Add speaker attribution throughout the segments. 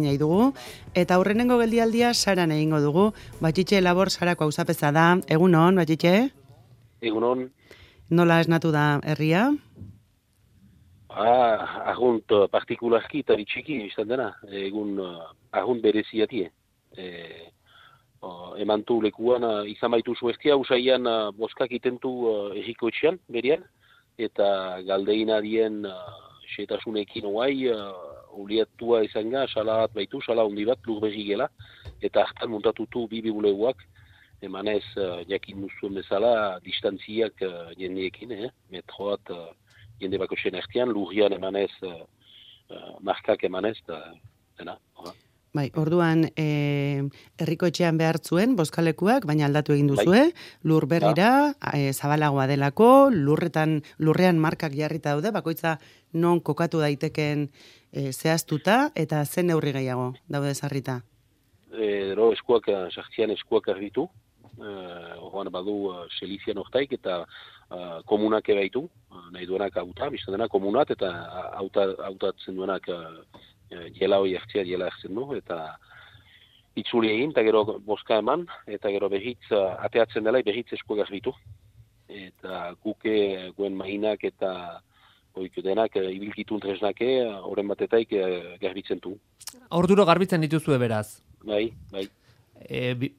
Speaker 1: nahi dugu, eta aurrenengo geldialdia Saran egingo dugu. Batxitxe labor Sarako auzapeza da. Egunon, Batxitxe?
Speaker 2: Egunon.
Speaker 1: Nola esnatu da herria?
Speaker 2: Argunt partikularki eta bitxiki izan dena. Egun argunt bereziatie. Emantu lekuan izan baitu zuestia, usaian boskak itentu erriko etxean, berian, eta galdeina dien setasunekin oai, uliatua izan ga, sala bat baitu, sala hundi bat, lur berri gela, eta hartan muntatutu bibuleguak, emanez jakin duzuen bezala, distantziak jendeekin, metro bat jende bako zen ertian, lurrian emanez, markak emanez, dena.
Speaker 1: Bai, orduan herriko etxean behartzuen bozkalekuak, baina aldatu egin duzue, lur berrira, zabalagoa delako, lurrean markak jarrita daude, bakoitza non kokatu daiteken zehaztuta, eta zen neurri gehiago daude zarrita?
Speaker 2: Eskuak, sartzian eskuak argitu, orduan badu selizian ortaik, eta komunak ebaitu, nahi duenak auta, biztan dena komunat, eta autatzen duenak jela hori hartzea, jela hartzen du, eta itzuli egin, eta gero boska eman, eta gero behitz, ateatzen dela, behitz eskuak argitu. Eta guke, guen mahinak eta denak ibilkitun tresnake, horren batetaik garbitzen du.
Speaker 3: Orduro garbitzen dituzue beraz?
Speaker 2: Bai.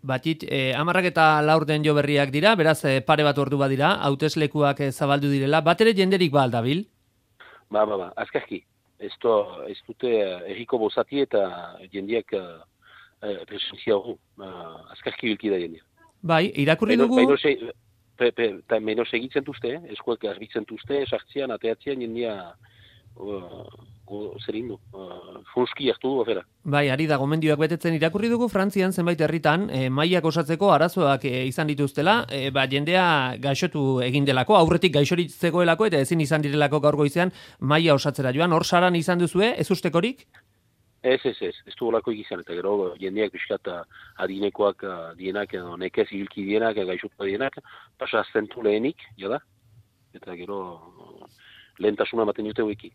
Speaker 3: Batit, 10:04 den jo berriak dira, beraz pare bat ordu badira, hauteslekuak zabaldu direla, bat ere jenderik ba aldabil?
Speaker 2: Ba, azkarki. Ez dute erriko bozati eta jendeak presentzia hori. Azkarki bilki da jendea.
Speaker 3: Bai, irakurri dugu...
Speaker 2: Menos egitzen duzte, eskuek arbitzen duzte, sartzean, ateatzean jendea zerin du. Funski hartu du, afera.
Speaker 3: Bai, ari da, gomendioak betetzen irakurri dugu Frantzian zenbait herritan, mailak osatzeko arazoak izan dituztela, jendea gaixotu egin delako, aurretik gaixorik zegoelako eta ezin izan direlako gaur goizean maila osatzera joan. Hor Saran izan duzue, ez ustekorik?
Speaker 2: Ez du olako izan, eta gero jendeak biskat adinekoak dienak, nekez hilki dienak, gaixotu dienak, pasa zentu lehenik, jada, eta gero lehentasuna ematen dute wiki.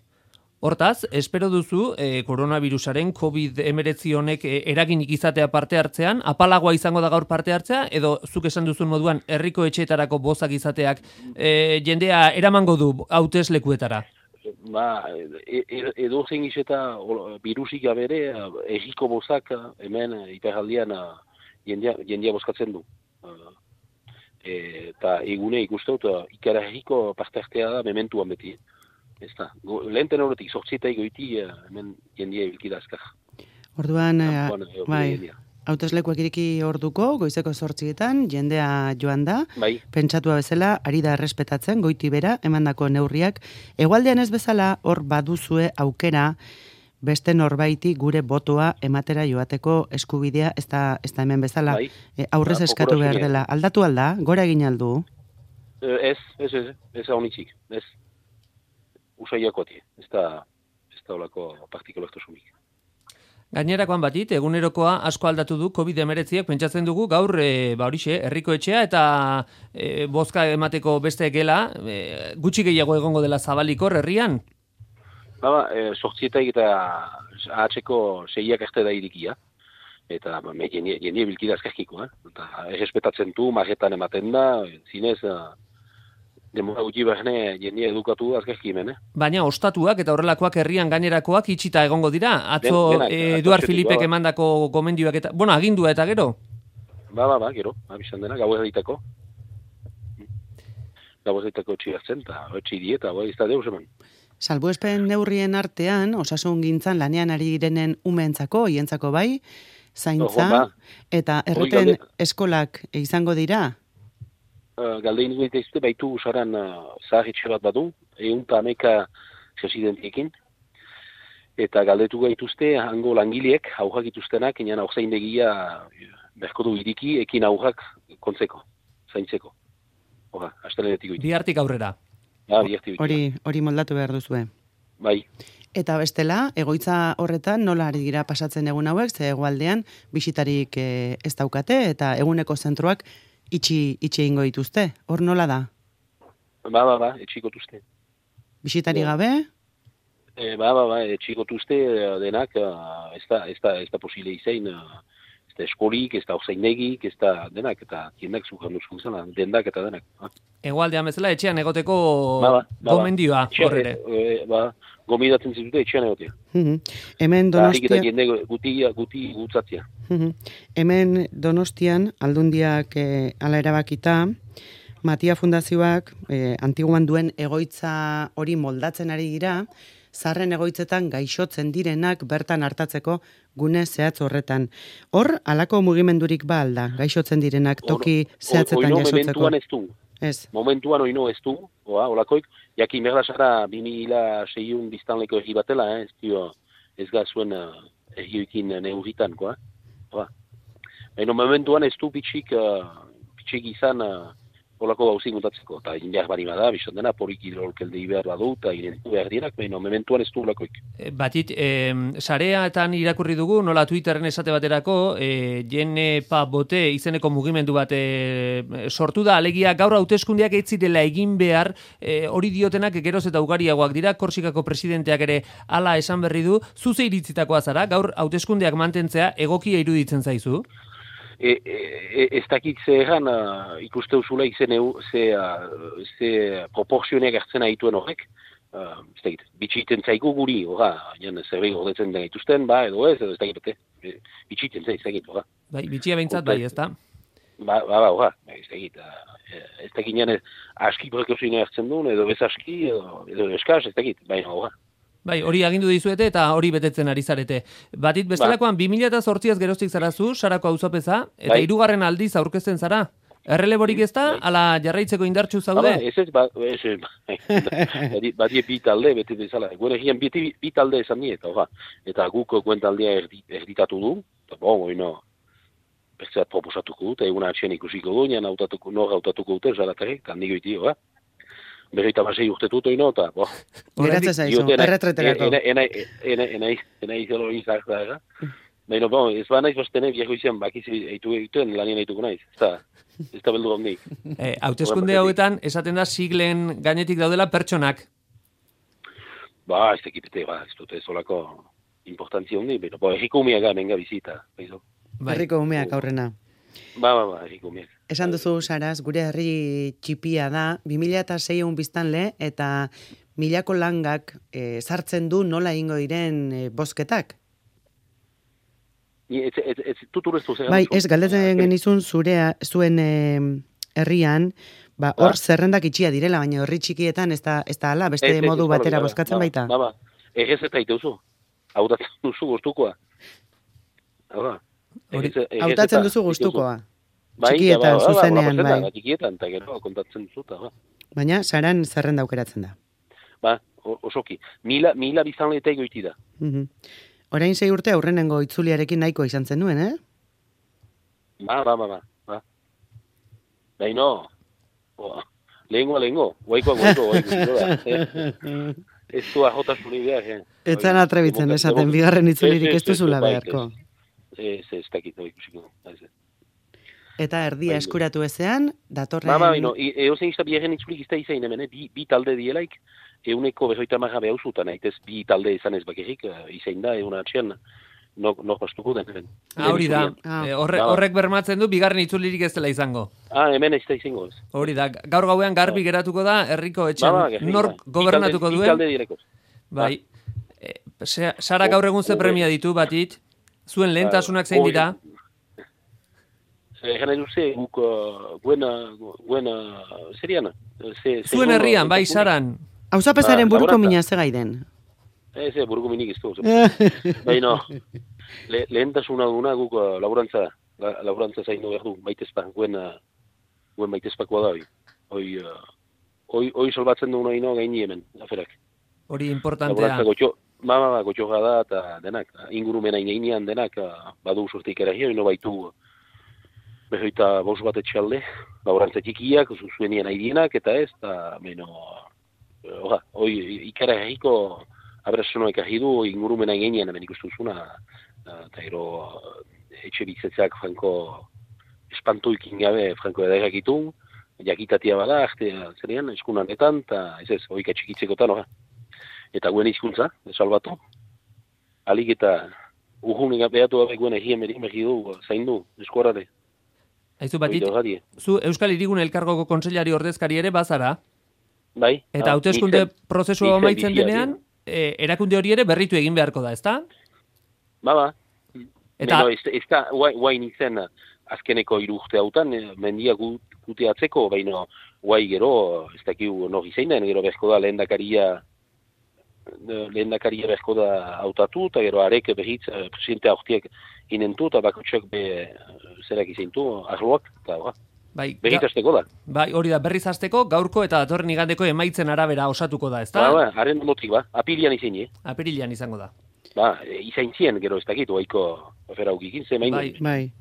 Speaker 3: Hortaz, espero duzu koronavirusaren COVID-19 honek eraginik izatea parte hartzean, apalagoa izango da gaur parte hartzea, edo zuk esan duzun moduan herriko etxeetarako bozak izateak jendea eramango du hauteslekuetara?
Speaker 2: Edo zein izeta virusik gabere, erriko bozak hemen hiperaldian jendea bozkatzen du. Eta egune ikustut, ikara herriko parte hartzea da mementuan beti. Ez da, lehenten horretik, sortzietai goiti, hemen jendea ibilkida azkar.
Speaker 1: Orduan, bai, hauteslekuak iriki orduko, goizeko 8:00, jendea joan da, pentsatua bezala, ari da errespetatzen, goiti bera, emandako neurriak. Hegoaldean ez bezala, hor baduzue aukera, beste norbaiti gure botoa ematera joateko eskubidea, ez da hemen bezala, aurrez eskatu behar dela. Aldatu alda, gora egin aldu?
Speaker 2: Ez honitzik, ez. Usaiakoatie, ez da olako partikulartasunik.
Speaker 3: Gainerakoan batit, egunerokoa asko aldatu du COVID-19, pentsatzen dugu gaur, herriko etxea eta bozka emateko beste gela, gutxi gehiago egongo dela zabalikor herrian?
Speaker 2: Sortzietaik eta ahatzeko 6 arte da irikia. Eta jende bilkida azkarkiko, eta errespetatzen du, marretan ematen da, zinez... Demora gutxi behne jendea edukatu azkarki hemen,
Speaker 3: Baina ostatuak eta horrelakoak herrian gainerakoak itxita egongo dira. Atzo Eduard Filipek emandako gomendioak eta... agindua eta gero?
Speaker 2: Gero. Bizan dena, gau erritako. Gau erritako txigartzen, eta etxi dieta, ez da deus eman.
Speaker 1: Salbuespen neurrien artean, osasun gintzan lanean ari direnen umeentzako, hientzako bai, zaintza, eta erreten eskolak izango dira?
Speaker 2: Galdein dut ezte baitu usaran zaharritxe bat badu, 111 residentiekin, eta galdetu gaituzte hango langileek, aurrak ituztenak, enean aurzaindegia berko du iriki, ekin aurrak kontzeko, zaintzeko. Astelenetik goitu.
Speaker 3: Bihartik aurrera.
Speaker 1: Hori moldatu behar duzue.
Speaker 2: Bai.
Speaker 1: Eta bestela, egoitza horretan nola ari dira pasatzen egun hauek, ze hegoaldean bisitarik ez daukate, eta eguneko zentroak itxi egingo dituzte. Hor nola da?
Speaker 2: Etxiko duzte.
Speaker 1: Bisitari gabe?
Speaker 2: Etxikotuzte denak, ez da posible izain, ez da eskolik, ez da orzainegik, ez da denak, eta tiendak zukan duzun zela, dendak eta denak.
Speaker 3: Egoaldean bezala, etxean egoteko gomendioa, horrere.
Speaker 2: Gomidatzen zitute etxean egotea.
Speaker 1: Hemen Donostia...
Speaker 2: Jende guti gutzatzea.
Speaker 1: Hemen Donostian, aldundiak ala erabakita, Matia Fundazioak antiguan duen egoitza hori moldatzen ari dira, zarren egoitzetan gaixotzen direnak bertan hartatzeko gune zehatz horretan. Hor, halako mugimendurik ba alda, gaixotzen direnak toki zehatzetan jasotzeko.
Speaker 2: Momentuan ez du.
Speaker 1: Ez.
Speaker 2: Momentuan oino ez du, holakoik, jakin berdasara 2006 biztanleko egi batela, ez gazuen egioikin neurritan, momentuan ez du pitxik izan holako gauzik mutatzeko, eta behar bari bada, bizon dena, porik hidrolkelde behar badu, eta irentu behar dirak, mementuan ez du holakoik.
Speaker 3: Batit, sareatan irakurri dugu, nola Twitterren esate baterako, Jenepa Bote izeneko mugimendu bat sortu da, alegia gaur hauteskundeak ez zirela egin behar, hori diotenak geroz eta ugariagoak dira, Korsikako presidenteak ere hala esan berri du, zuze iritzitakoa zara, gaur hauteskundeak mantentzea egokia iruditzen zaizu?
Speaker 2: Ez dakit zehan ikuste usula ze proporzioneak hartzen haituen horrek, ez dakit, bitxiten zaigu guri, zerbait gordetzen den gaituzten, edo ez dakit, bitxiten zaiz, ez dakit,
Speaker 3: bitxia behintzat bai, ez da?
Speaker 2: Ez dakit nian aski prekozioa hartzen duen, edo ez aski, edo eskaz, ez dakit, baina
Speaker 3: Bai, hori agindu dizuete eta hori betetzen ari zarete. Batit bestelakoan 2008az geroztik zarazu, Sarako auzapeza, eta hirugarren aldiz aurkezten zara. Erreleborik ez da, ala jarraitzeko indartsu zaude?
Speaker 2: Badie bi talde, beti bezala. Gure egian bi talde esan nie, eta guk guentaldea erditatu du, eta bertzeat proposatuko dut, eguna atxean ikusiko du, nor hautatuko dute, zaratarek, eta nigo iti, Berreita basei urtetut oino, eta,
Speaker 1: Geratzen zaizu, erretreterako.
Speaker 2: Ena izelo izak da, Baina, ez ba naiz bastene biako izan, bakiz egituen lanien egituko naiz. Ez da beldu gondik.
Speaker 3: Hauteskunde hauetan, esaten da siglen gainetik daudela pertsonak.
Speaker 2: Ez tekipete, ez dute solako importantzia hondi, baina, erriko umeak menga bizita.
Speaker 1: Erriko umeak aurrena.
Speaker 2: Erriko umeak.
Speaker 1: Esan duzu, Saraz, gure herri txipia da, 2006 biztanle, eta milako langak sartzen du nola ingo diren bozketak? Bai, ez, galdetzen genizun zuen herrian, hor zerrendak itxia direla, baina herri txikietan ez da ala, beste modu batera bozkatzen baita?
Speaker 2: Egez eta iteuzu, hautatzen duzu gustukoa.
Speaker 1: Hautatzen duzu gustukoa? Txikietan, zuzenean, bai.
Speaker 2: Txikietan, eta gero, kontatzen duzuta,
Speaker 1: Baina, Saran zerrenda aukeratzen da?
Speaker 2: Osoki. Mila biztanleeta egoiti da.
Speaker 1: Orain 6 urte aurrenengo itzuliarekin nahiko izan zen nuen,
Speaker 2: Baina, lehengoa, guaikoa. Ez du ajotasuni behar,
Speaker 1: Ez zan atrebitzen esaten, bigarren itzulirik ez duzula beharko.
Speaker 2: Ez dakit, ikusiko.
Speaker 1: Eta erdia eskuratu ezean, datorren...
Speaker 2: Eozen izta biherren itzulik izta izain hemen, bi talde dielaik, euneko 50 behauzutan, ez bi talde izan ez bakerik, izain da, egun atxean, nor bastuko den.
Speaker 3: Hori da, horrek bermatzen du, bigarren itzulirik ez dela izango.
Speaker 2: Hemen ez da izango ez.
Speaker 3: Hori da, gaur gauean garbi geratuko da, herriko etxean, nork gobernatuko duen.
Speaker 2: Bi talde dieleko.
Speaker 3: Bai, Sara gaur egun ze premia ditu, Batit, zuen lehentasunak zein dira?
Speaker 2: Egan eduze, guk buena seriana.
Speaker 3: Zuen herrian, bai, Saran.
Speaker 1: Auzapezaren buruko mina ze gaiden?
Speaker 2: Buruko minik ez du. Baina, lehentasuna duna guk laborantza zaino behar du, maitezpa, guen maitezpakoa da, hoi salbatzen duna ino gaini hemen, aferak.
Speaker 3: Hori importantea.
Speaker 2: Gotxoga da, eta denak, ingurumena inean denak, badu sortik eragia, ino baitu, Behoita bost bat etxalde, laborantza txikiak, zuenien aidienak, eta ez, eta meno, hoi ikara egiko abrazonoek ahidu ingurumena ingenean hemen ikustuzuna, eta gero etxe bizitzeak franko espantuikin gabe franko edaigak itu, jakitatia bada, zerean, eskunanetan, eta ez, hoi katxikitzekotan, eta guen izkuntza, salbatu. Alik eta urhunik behatu gabe guen egien megidu, zain du, eskuarrade.
Speaker 3: Aizu batit, zu Euskal Hirigune Elkargoko kontseilari ordezkari ere bazara?
Speaker 2: Bai.
Speaker 3: Eta hauteskunde prozesua amaitzen denean, erakunde hori ere berritu egin beharko da, ezta?
Speaker 2: Ba. Eta ez da, guain izen azkeneko 3 urte hautan, mendia kuteatzeko, baina guai gero, ez dakiu nori zein den, gero bezko da lehendakaria bezko da hautatu, eta gero arek behitz presidente aurtiek inentu, eta bakotxak zerak izeintu, arloak, eta berriz hasteko da.
Speaker 3: Bai, hori da, berriz hasteko, gaurko eta datorren igandeko emaitzen arabera osatuko da, ezta?
Speaker 2: Ba, haren motik, apirian izein,
Speaker 3: Apirian izango da.
Speaker 2: Izain zien, gero ez dakitu, haiko aferaukikin, ze main.
Speaker 1: Bai.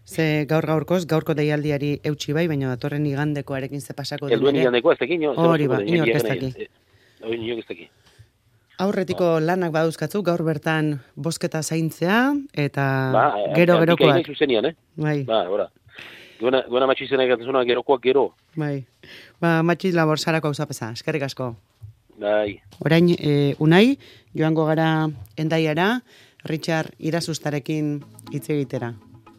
Speaker 1: Ze gaurko deialdiari eutxi bai, baina datorren igandekoarekin ze pasako den.
Speaker 2: Elduen igandekoa ez dakin,
Speaker 1: hori ba, inork ez daki.
Speaker 2: Inork ez daki.
Speaker 1: Aurretiko lanak badauzkatzu, gaur bertan bosketa zaintzea, eta gero-gerokoak.
Speaker 2: Ba, antika zuzenian,
Speaker 1: Bai.
Speaker 2: Ba, ora. Guena matxizena egatzuna gerokoak gero.
Speaker 1: Bai. Ba, matxiz labor sarako hauzapeza, eskerrik asko.
Speaker 2: Bai.
Speaker 1: Orain, unai, joango gara Hendaiara, Richard Irasustarekin hitz egitera.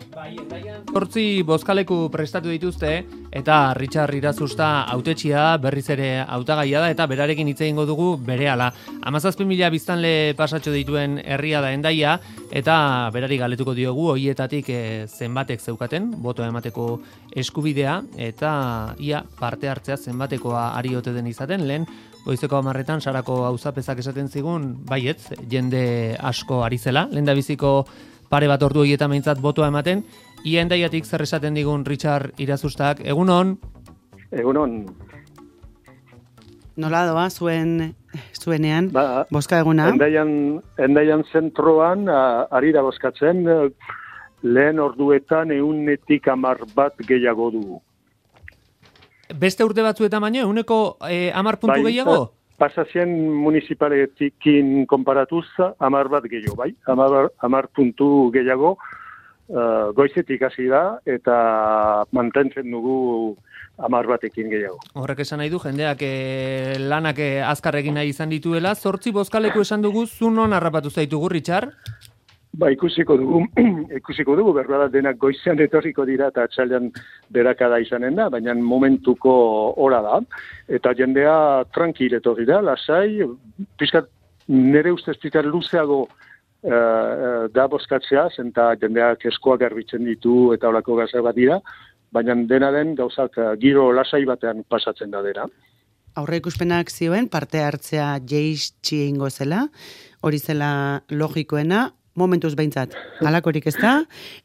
Speaker 3: Bai, Hendaian 8 bozkaleku prestatu dituzte, eta Richard Irasusta hautetxia berriz ere hautagaia da, eta berarekin hitz egingo dugu berehala. 17.000 biztanle pasatxo dituen herria da Hendaia, eta berari galetuko diogu hoietatik zenbatek zeukaten, botoa emateko eskubidea, eta ia parte hartzea zenbatekoa ari ote den izaten, lehen goizeko 10etan Sarako auzapezak esaten zigun, baietz, jende asko ari zela, lehendabiziko pare bat ordu horietan behintzat botoa ematen. Ia Hendaiatik zer esaten digun Richard Irasustak, egunon?
Speaker 4: Egunon.
Speaker 1: Nola doa zuenean bozka eguna?
Speaker 4: Hendaian zentroan ari da bozkatzen, lehen orduetan 110 bat gehiago dugu.
Speaker 3: Beste urte batzuetan baino, 110 puntu gehiago?
Speaker 4: Pasazien municipaletikin konparatuz, 10 bat gehiago, bai? 10 puntu gehiago, goizetik hasi da, eta mantentzen dugu 10 batekin gehiago.
Speaker 3: Horrek esan nahi du, jendeak lanak azkar egin nahi izan dituela, 8 bozkaleku esan dugu, zu non harrapatu zaitugu, Richard?
Speaker 4: Ba, ikusiko dugu, berbada denak goizean etorriko dira eta atxaldean berakada izanen da, baina momentuko ora da. Eta jendea tranquil etorri da, lasai, pizkat nire ustez pizkat luzeago da bozkatzea, zenta jendeak eskoak garbitzen ditu eta holako gazak bat dira, baina dena den gauzak giro lasai batean pasatzen da dena.
Speaker 1: Aurre ikuspenak zioen parte hartzea jeitsi egingo zela, hori zela logikoena, momentuz behintzat, halakorik ez da,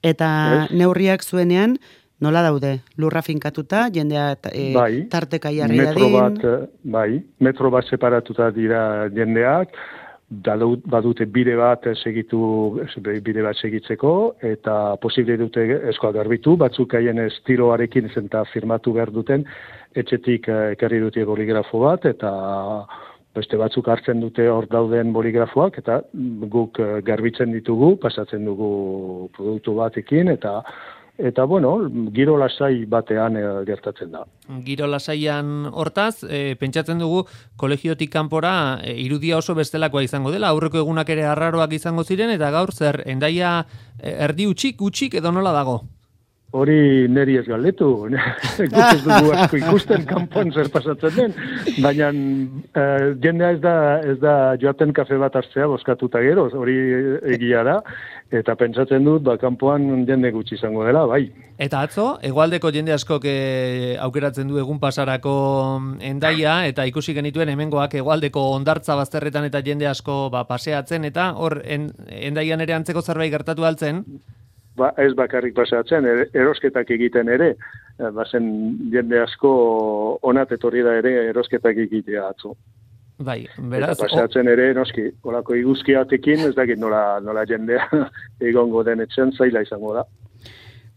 Speaker 1: eta neurriak zuenean nola daude, lurra finkatuta, jendea tarteka jarri dadin.
Speaker 4: Metro bat separatuta dira jendeak, badute bide bat segitzeko, eta posible dute eskoa garbitu, batzuk haien estiloarekin zenta firmatu behar duten, etxetik ekarri dute boligrafo bat, eta beste batzuk hartzen dute hor dauden boligrafoak, eta guk garbitzen ditugu, pasatzen dugu produktu batekin, eta bueno, giro lasai batean gertatzen da.
Speaker 3: Giro lasaian hortaz, pentsatzen dugu kolegiotik kanpora irudia oso bestelakoa izango dela, aurreko egunak ere arraroak izango ziren, eta gaur zer, Hendaia erdi utxik edo nola dago?
Speaker 4: Hori neri ez galdetu, guk ez dugu asko ikusten kanpoan zer pasatzen den, baina jendea ez da joaten kafe bat hartzea bozkatuta gero, hori egia da, eta pentsatzen dut, kanpoan jende gutxi izango dela, bai.
Speaker 3: Eta atzo, hegoaldeko jende askok aukeratzen du egun pasarako Hendaia, eta ikusi genituen hemengoak hegoaldeko hondartza bazterretan eta jende asko paseatzen, eta hor Hendaian ere antzeko zerbait gertatu altzen?
Speaker 4: Ba, ez bakarrik pasatzen, erosketak egiten ere, bazen jende asko onat etorri da ere erosketak egitea atzo.
Speaker 3: Bai, beraz...
Speaker 4: Eta pasatzen ere, noski, olako iguzkiatekin, ez dakit nola jendea egongo den etxen zaila izango da.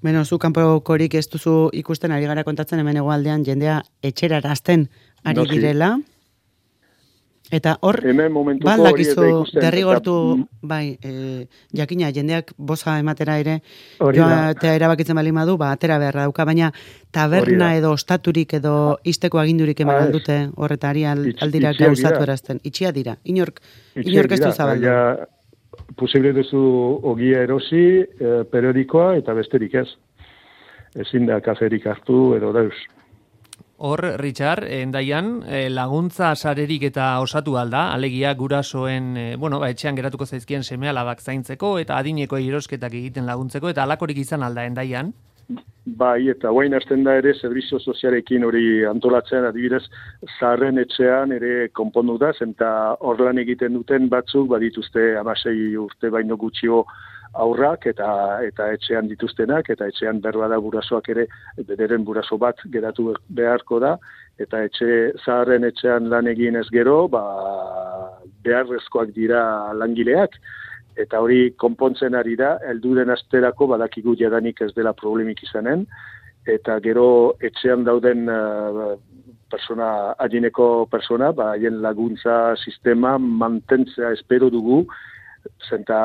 Speaker 1: Beno, zu kanpokorik ez duzu ikusten ari gara kontatzen hemen hegoaldean jendea etxera erazten ari direla. Eta hor, baldakizu derrigortu, bai, jakina, jendeak boza ematera ere, joatea erabakitzen bali madu, atera beharra dauka, baina taberna edo ostaturik edo isteko agindurik eman aldute horretari aldira gauzatu erazten. Itxia dira, inork ez du zabaldu.
Speaker 4: Posible duzu ogia erosi, periodikoa eta besterik ez. Ezin da kaferik hartu edo dauz.
Speaker 3: Hor, Richard, endaian, laguntza sarerik eta osatu alda, alegia gurasoen, etxean geratuko zaizkien seme-alabak zaintzeko eta adineko erosketak egiten laguntzeko, eta alakorik izan alda endaian?
Speaker 4: Bai, eta guain hasten da ere zerbizio sozialekin hori antolatzen, adibidez, zaharren etxean ere konpondu da, eta hor lan egiten duten batzuk badituzte 16 urte baino gutxio aurrak eta etxean dituztenak, eta etxean berbada gurasoak ere, bederen guraso bat geratu beharko da, eta zaharren etxean lan egin ez gero, beharrezkoak dira langileak, eta hori konpontzen ari da, helduren asterako badakigu jadanik ez dela problemik izanen, eta gero etxean dauden adineko persona, haien laguntza sistema mantentzea espero dugu, zenta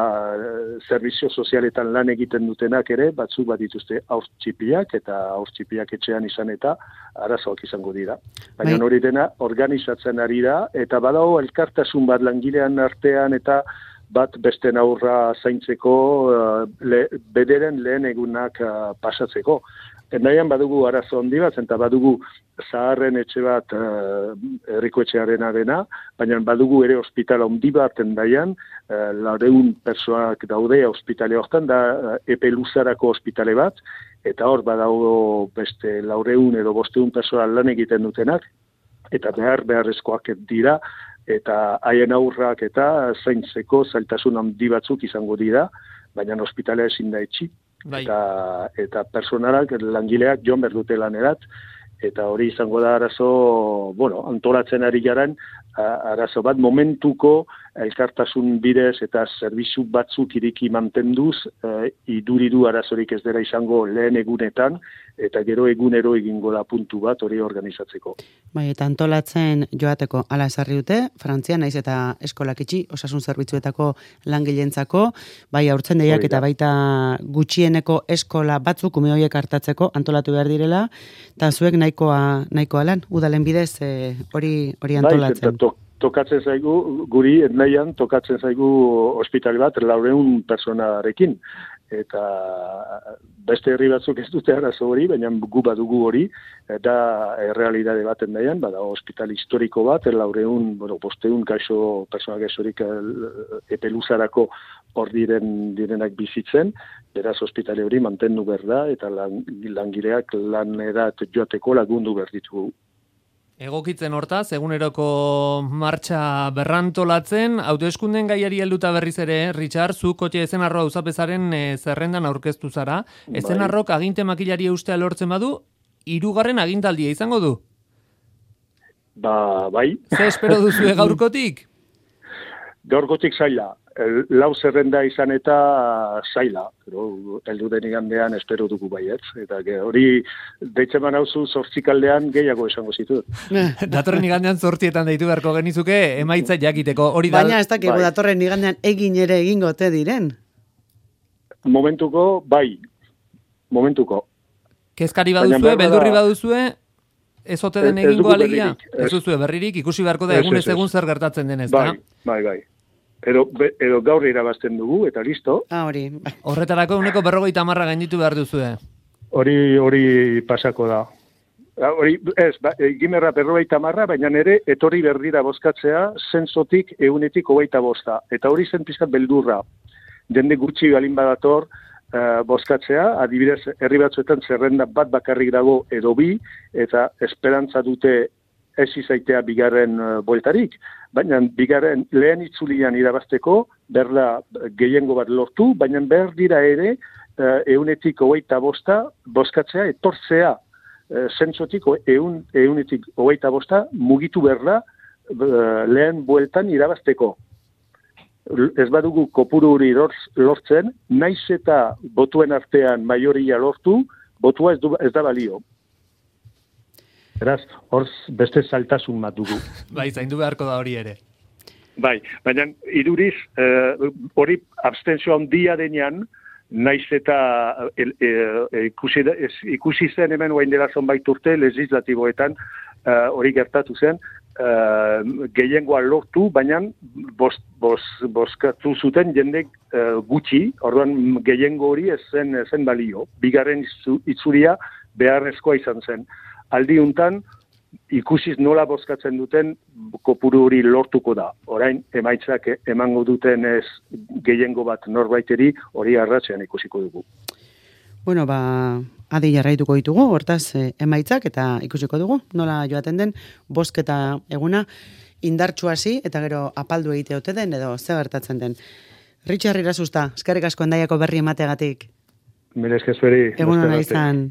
Speaker 4: zerbizio sozialetan lan egiten dutenak ere, batzuk bat dituzte haurtxipiak, eta haurtxipiak etxean izan eta arazoak izango dira. Baina hori dena organizatzen ari da, eta badago elkartasun bat langilean artean, eta bat beste aurra zaintzeko, bederen lehen egunak pasatzeko. Endaian badugu arazo handi bat, eta badugu zaharren etxe bat herriko etxearen arena, baina badugu ere ospitala handi bat endaian, 400 pertsonak daude ospitale hortan, da epe luzarako ospitale bat, eta hor badago beste 400 edo 500 pertsona lan egiten dutenak, eta beharrezkoak dira, eta haien aurrak eta zaintzeko zailtasun handi batzuk izango dira, baina ospitalea ezin da etxi. Eta personalak, langileak joan behar dute lanerat, eta hori izango da arazo, antolatzen ari garen, arazo bat momentuko elkartasun bidez eta zerbitzu batzuk iriki mantenduz, iduridu arazorik ez dela izango lehen egunetan, eta gero egunero egingo da puntu bat hori organizatzeko.
Speaker 1: Bai, eta antolatzen joateko ala esarri dute, Frantzia naiz eta eskolak itxi, osasun zerbitzuetako langilentzako, bai haurtzen deiak eta baita gutxieneko eskola batzuk ume horiek hartatzeko antolatu behar direla, eta zuek nahikoa lan, udalen bidez hori antolatzen.
Speaker 4: Tokatzen zaigu, guri etnaian tokatzen zaigu ospitale bat 400 personarekin. Eta beste herri batzuk ez dute arazo hori, baina gu badugu hori, da errealidade bat endaian, bada ospital historiko bat, 400, 500 kaixo, persona gaixorik epe luzarako hor direnak bizitzen, beraz ospitale hori mantendu behar da, eta langileak lanerat joateko lagundu behar ditugu.
Speaker 3: Egokitzen hortaz, eguneroko martxa berrantolatzen, autoeskunden gaiari helduta berriz ere, Richard, zu kotxe ezenarroa auzapezaren zerrendan aurkeztu zara. Ezenarrok aginte makilari eustea lortzen badu, 3. agintaldia izango du?
Speaker 4: Bai.
Speaker 3: Ze espero duzu gaurkotik?
Speaker 4: Gaurkotik zaila. Lau zerrenda izan eta zaila. Heldu den igandean espero dugu baietz. Eta hori deitzen manauzu 8 aldean gehiago esango zitut.
Speaker 3: Datorren igandean 8etan deitu beharko genizuke emaitza jakiteko.
Speaker 1: Baina ez dakigu datorren igandean egin ere egingo te diren.
Speaker 4: Momentuko, bai. Momentuko.
Speaker 3: Kezkari baduzue, beldurri baduzue, ez ote den egingo alegia? Ez duzue berririk, ikusi beharko da egunez egun zer gertatzen denez.
Speaker 4: Bai. Edo gaur irabazten dugu, eta listo.
Speaker 1: Hori.
Speaker 3: Horretarako 150 gainditu behar duzue.
Speaker 4: Hori pasako da. Gimerra 50, baina ere etorri berdira bozkatzea, zentzotik 125. Eta hori zen pizkat beldurra. Jende gutxi balin badator bozkatzea, adibidez herri batzuetan zerrenda bat bakarrik dago edo bi, eta esperantza dute ez izaitea bigarren bueltarik. Baina bigarren lehen itzulian irabazteko, berda gehiengo bat lortu, baina behar dira ere 125 bozkatzea, etortzea zentzotik 125 mugitu berda lehen bueltan irabazteko. Ez badugu kopuru hori lortzen, naiz eta botuen artean maioria lortu, botua ez da balio. Beraz, hor beste saltasun bat dugu.
Speaker 3: Bai, zaindu beharko da hori ere.
Speaker 4: Bai, baina iduriz, hori abstentzio handia denean, naiz eta ikusi zen hemen oain dela zonbait urte legislatiboetan hori gertatu zen, gehiengoa lortu, baina bozkatu zuten jendek gutxi, orduan gehiengo hori ez zen balio. Bigarren itzulia beharrezkoa izan zen. Aldi untan, ikusiz nola bozkatzen duten kopuru hori lortuko da. Orain, emaitzak emango duten ez gehiengo bat norbaiteri hori arratzean ikusiko dugu.
Speaker 1: Bueno, adi jarraituko ditugu, hortaz emaitzak eta ikusiko dugu. Nola joaten den, bozketa eguna indartsu hasi eta gero apaldu egite ote den edo ze gertatzen den. Richard Irazusta, eskerrik asko Hendaiako berri emateagatik.
Speaker 4: Mila esker zueri.
Speaker 1: Egun ona izan.